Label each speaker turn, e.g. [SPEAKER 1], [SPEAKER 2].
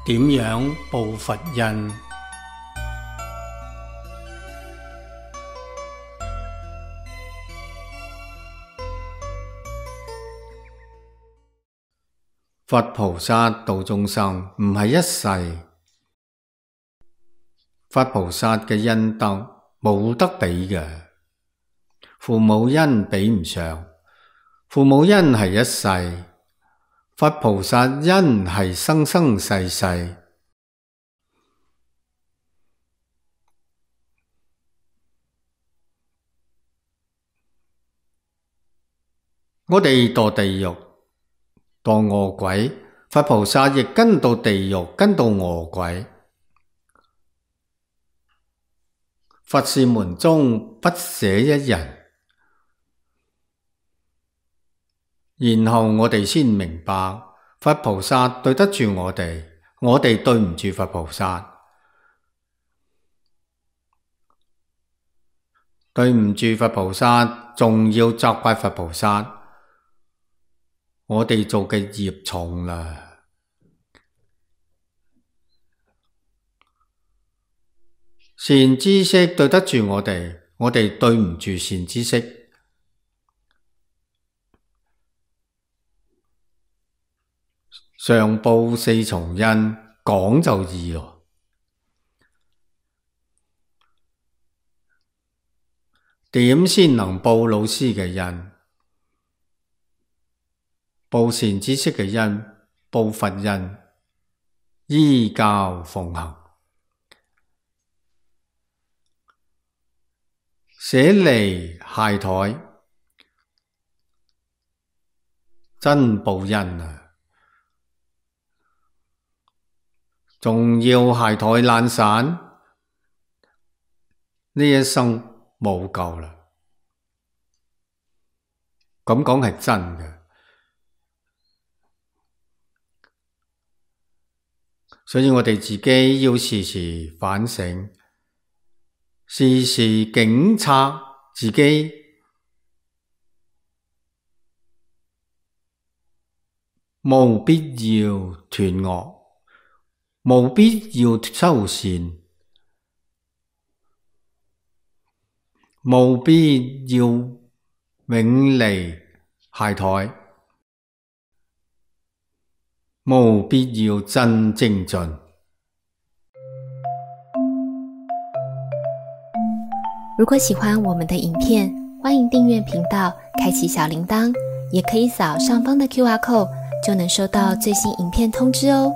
[SPEAKER 1] 點樣報佛印？佛菩薩度眾生唔係一世，佛菩薩嘅恩德冇得比嘅，父母恩比唔上，父母恩係一世，佛菩薩恩係生生世世。我哋墮地獄、墮餓鬼，佛菩薩亦跟到地獄，跟到餓鬼。佛是門中不捨一人。然後我哋先明白，佛菩薩對得住我哋，我哋對唔住佛菩薩，對唔住佛菩薩，仲要責怪佛菩薩，我哋做嘅業重啦。善知識對得住我哋，我哋對唔住善知識。上報四重恩，講就易喎。點先能報老師嘅恩？報善知識嘅恩，報佛恩，依教奉行，捨離懈怠，真報恩啊！仲要懈怠懶散，呢一生冇救啦。咁講係真嘅，所以我哋自己要時時反省，時時警察自己，冇必要斷惡，冇必要修善，冇必要永離懈怠，冇必要真精進。
[SPEAKER 2] 如果喜歡我們的影片，歡迎訂閱頻道，開啟小鈴鐺，也可以掃上方的QR code，就能收到最新影片通知哦。